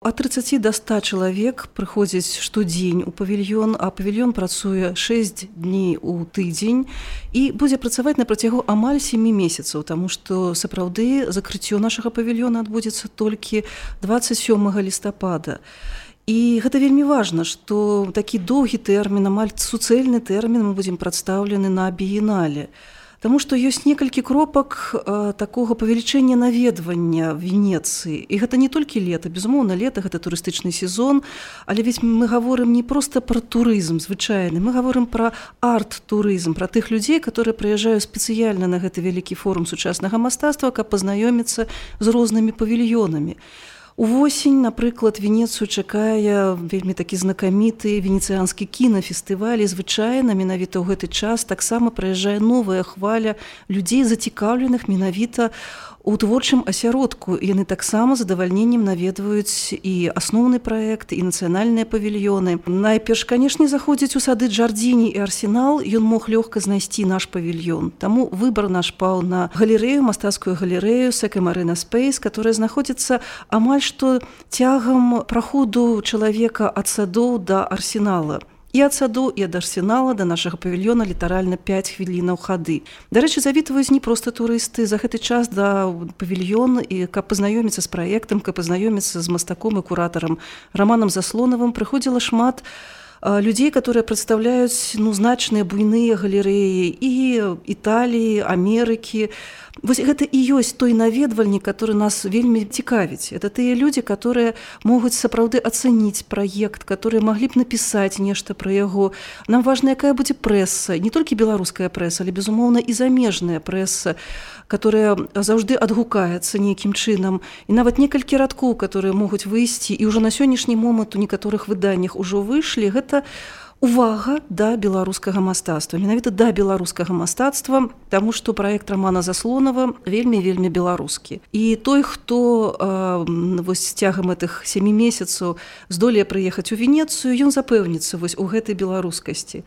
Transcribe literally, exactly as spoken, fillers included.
Ад трыццаці да ста чалавек прыходзіць штодзень у павільён, а павільён працуе шэсць дней у тыдзень і будзе працаваць на працягу амаль сямі месяцаў, таму што сапраўды закрыццё нашага павільёна адбудзецца толькі дваццаць сёмага лістапада. І гэта вельмі важна, што такі доўгі тэрмін, амаль суцэльны тэрмін мы будзем прадстаўлены на біенале. Таму што ёсць некалькі кропак э, такога павелічэння наведвання Венецыі. І гэта не толькі лета, безумоўна, лета гэта турыстычны сезон, але ведь мы гаворым не проста пра турызм звычайны, мы гаворым пра арт-турызм, пра тых людзей, которые прыязджаюць спецыяльна на гэты вялікі форум сучаснага мастацтва, каб пазнаёміцца з рознымі павільёнамі. Увосень, напрыклад, Венецыю чакае вельмі такі знакаміты венецыянскі кінафестываль, і звычайна менавіта ў гэты час таксама прыязджае новая хваля людзей, зацікаўленых менавіта у творчым асяродку. Яны таксама з задавальненнем наведваюць і асноўны праект, і нацыянальныя павільёны. Найперш, канешне, заходзіць у сады Джардзіні і Арсенал, ён мог лёгка знайсці наш павільён. Таму выбар наш паў на галерэю, мастацкую галерэю Second Arena Space, которая знаходзіцца амаль што цягам праходу чалавека ад садоў да Арсенала. І ад саду, і ад Арсенала да нашага павільёна літаральна пяць хвілінаў хады. Дарэчы, завітваюць не проста турысты. За гэты час да павільён, і каб пазнаёміцца з праектам, каб пазнаёміцца з мастаком і куратарам Раманам Заслонавым, прыходзіла шмат людзей, которые прадстаўляюць ну, значныя буйныя галерэі і Італіі, Амерыкі. Вось гэта і ёсць той наведвальнік, который нас вельмі цікавіць. Это тыя людзі, которые могуць сапраўды ацэніць праект, которые маглі б напісаць нешта пра яго. Нам важна, якая будзе прэса, не толькі беларуская прэса, але, безумоўна, і замежная прэса, которая заўжды адгукаецца нейкім чынам. І нават некалькі радкоў, которые могуць выйсці, і ўжо на сённяшні момант у некаторых выданнях ужо выйшлі, гэта увага да беларускага мастацтва, менавіта да беларускага мастацтва, таму што праект Рамана Заслонава вельмі-вельмі беларускі. І той, хто э, вось цягам гэтых сямі месяцаў здолее прыехаць у Венецыю, ён запэўніцца вось у гэтай беларускасці.